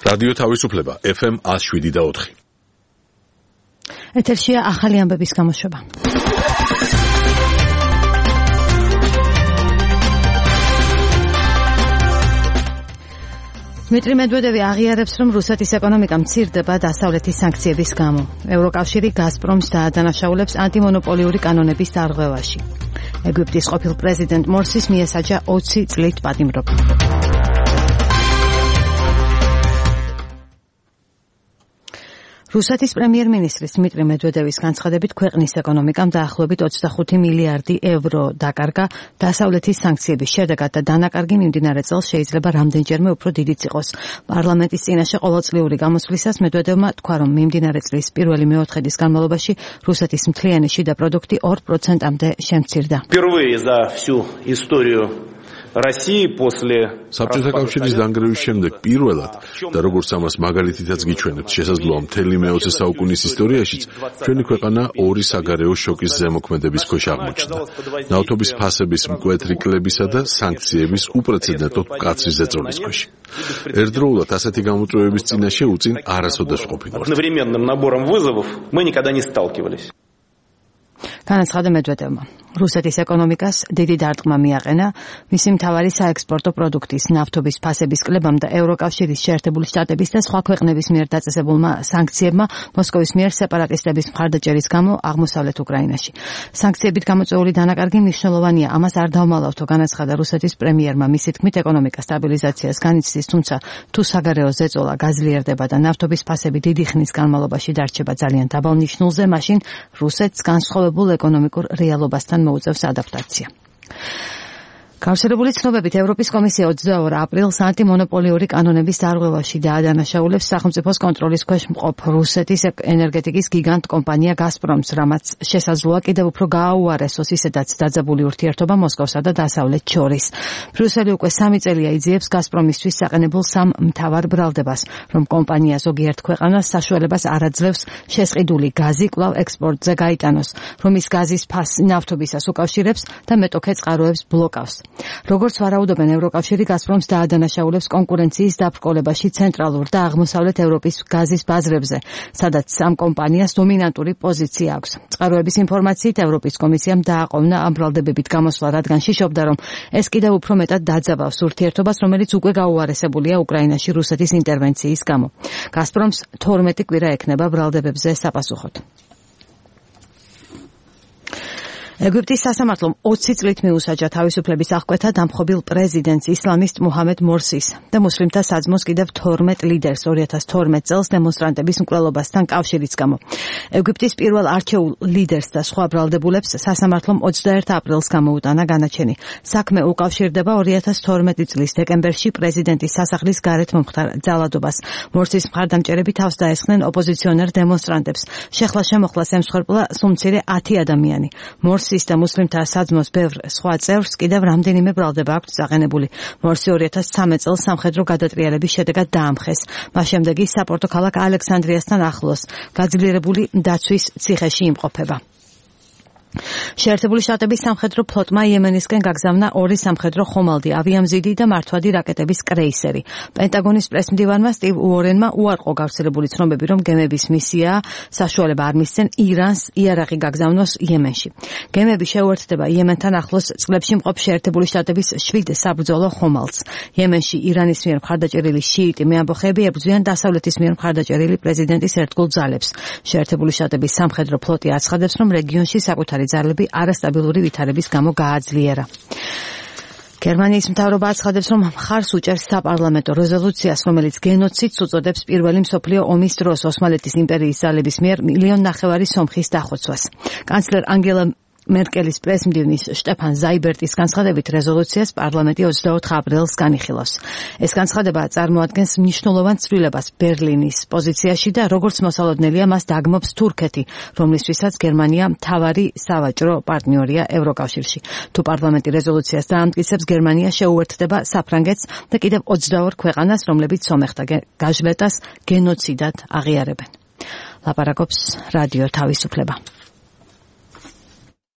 რადიო თავისუფლება FM 107.4. ეთერშია ახალი ამბების გამოშვება. დმიტრი მედვედევი აღიარებს, რომ რუსეთის ეკონომიკა მცირდება დასავლეთის სანქციების გამო. ევროკავშირი გაზპრომს დაადანაშაულებს ანტიმონოპოლიური კანონების დარღვევაში. ეგვიპტის ყოფილ პრეზიდენტ მორსის მიესაჯა 20 წლით პატიმრობა. რუსეთის პრემიერ-მინისტრის დმიტრი მედვედევის განცხადებით ქვეყნის ეკონომიკამ დაახლოებით 25 მილიარდი ევრო დაკარგა დასავლეთის სანქციების შედეგად და დანაკარგი მიმდინარე წელს შეიძლება რამდენჯერმე უფრო დიდიც იყოს. პარლამენტის წინაშე ყოველწლიური გამოსვლისას მედვედევმა თქვა, რომ მიმდინარე წლის პირველი მეოთხედის განმავლობაში რუსეთის მთლიანი შიდა პროდუქტი 2%-მდე შემცირდა. საბჭოთა კავშირის დანგრევის შემდეგ პირველად და როგორც ამას მაგალითითაც გიჩვენებთ, შესაძლოა მთელი მე-20 საუკუნის ისტორიაშიც ჩვენი ქვეყანა ორი საგარეო შოკის ზემოქმედების ქვეშ აღმოჩნდა. ნავთობის ფასების მკვეთრი კლებისა და სანქციების უპრეცედენტოდ მკაცრი ზეწოლის ქვეშ. ერთდროულად ასეთი გამოწვევების წინაშე უწინ არასოდეს ყოფილვართ. განაცხადა მედვედევმა. რუსეთის ეკონომიკას დიდი დარტყმა მიაყენა მისი მთავარი საექსპორტო პროდუქტის ნავთობის ფასების კლებამ და ევროკავშირის შეერთებული შტატების და სხვა ქვეყნების მიერ დაწესებულმა სანქციებმა მოსკოვის მიერ სეპარატისტების მხარდაჭერის გამო აღმოსავლეთ უკრაინაში. სანქციებით გამოწვეული დანაკარგი მნიშვნელოვანია, ამას არ დავმალავთო, განაცხადა რუსეთის პრემიერმა. მისი თქმით, ეკონომიკა სტაბილიზაციას განიცდის, თუმცა თუ საგარეო ზეწოლა გაძლიერდება და ნავთობის ფასები დიდი ხნის განმავლობაში დარჩება ძალიან დაბალ ნიშნულზე, მაშინ რუსეთს განსხვავებულ ეკონომიკურ რეალობასთან მოუწევს ადაპტაცია. გავრცელებული ცნობებით ევროპის კომისია 22 აპრილს ანტიმონოპოლიური კანონების დარღვევაში დაადანაშაულებს სახელმწიფოს კონტროლის ქვეშ მყოფ რუსეთის ენერგეტიკის გიგანტ კომპანია გაზპრომს, რამაც შესაძლოა კიდევ უფრო გააუარესოს ისედაც დაძაბული ურთიერთობა მოსკოვსა და დასავლეთს შორის. ბრიუსელი უკვე 3 წელია იძიებს გაზპრომისთვის საყენებულ სამ მთავარ ბრალდებას, რომ კომპანია ზოგიერთ ქვეყანას საშუალებას არ აძლევს შესყიდული გაზი კვლავ ექსპორტზე გაიტანოს, რომ ის გაზის ფასს ნავთობისას უკავშირებს და მეტოქე წყაროებს ბლოკავს. როგორც ვარაუდობენ, ევროკავშირი გაზპრომს დაადანაშაულებს კონკურენციის დაბრკოლებაში ცენტრალურ და აღმოსავლეთ ევროპის გაზის ბაზრებზე, სადაც ამ კომპანიას დომინანტური პოზიცია აქვს. წყაროების ინფორმაციით, ევროპის კომისიამ დააყოვნა ამ ბრალდებებით გამოსვლა, რადგან შიშობდა, რომ ეს კიდევ უფრო მეტად დაძაბავს ურთიერთობას, რომელიც უკვე გაუარესებულია უკრაინაში რუსეთის ინტერვენციის გამო. გაზპრომს 12 კვირა ექნება ბრალდებებზე საპასუხოდ. ეგვიპტის სასამართლომ 20 წლით მიუსაჯა თავისუფლების აღკვეთა დამხობილ პრეზიდენტს ისლამისტ მუჰამედ მორსის და მუსლიმთა საძმოს კიდევ 12 ლიდერს 2012 წელს დემონსტრანტების მკვლელობასთან კავშირის გამო. ეგვიპტის პირველ არჩეულ ლიდერს და სხვა ბრალდებულებს სასამართლომ 21 აპრილს გამოუტანა განაჩენი. საქმე უკავშირდება 2012 წლის დეკემბერში პრეზიდენტის სასახლის გარეთ მომხდარ ძალადობას. მორსის მხარდამჭერები თავს დაესხნენ ოპოზიციონერ დემონსტრანტებს. შეხლა-შემოხლას ემსხვერპლა სულ მცირე 10 ადამიანი. მორსის და მუსლიმთა საძმოს ბევრ სხვა წევრს კიდევ რამდენიმე ბრალდება აქვს წაყენებული. მორსი 2013 წელს სამხედრო გადატრიალების შედეგად დაამხეს. მას შემდეგ ის საპორტო ქალაქ ალექსანდრიასთან ახლოს გაძლიერებული დაცვის ციხეში იმყოფება. შეერთებული შტატების სამხედრო ფლოტმა იემენისკენ გაგზავნა 2 სამხედრო ხომალდი, ავიამზიდი და მართვადი რაკეტების კრეისერი. პენტაგონის პრესმდივანმა სტივ უორენმა უარყო გავრცელებული ცნობები, რომ გემების მისიაა საშუალება არ მისცენ ირანს იარაღი გაგზავნოს იემენში. გემები შეუერთდება იემენთან ახლოს წყლებში მყოფ შეერთებული შტატების 7 საბრძოლო ხომალდს. იემენში ირანის მიერ მხარდაჭერილი შიიტი მეამბოხეები ებრძვიან დასავლეთის მიერ მხარდაჭერილი პრეზიდენტის ერთგულ ძალებს. შეერთებული შტატების სამხედრო ფლოტი აცხადებს, რომ რეგიონში საკუთარი ძალები არასტაბილური ვითარების გამო გააძლიერა. გერმანიის მთავრობა აცხადებს, რომ მხარს უჭერს საპარლამენტო რეზოლუციას, რომელიც გენოციდს უწოდებს პირველი მსოფლიო ომის დროს ოსმალეთის იმპერიის ძალების მიერ 1,5 მილიონი სომხის დახოცვას. კანცლერ ანგელა მერკელის პრესმდივნის შტეფან ზაიბერტის განცხადებით რეზოლუციას პარლამენტი 24 აპრილს განიხილავს. ეს განცხადება წარმოადგენს მნიშვნელოვან ცვლილებას ბერლინის პოზიციაში და როგორც მოსალოდნელია მას დაგმობს თურქეთი, რომლისთვისაც გერმანია მთავარი სავაჭრო პარტნიორია ევროკავშირში. თუ პარლამენტი რეზოლუციას დაამტკიცებს, გერმანია შეუერთდება საფრანგეთს და კიდევ 22 ქვეყანას, რომლებიც სომეხთა გაჟლეტას გენოციდად აღიარებენ. ლაპარაკობს რადიო თავისუფლება.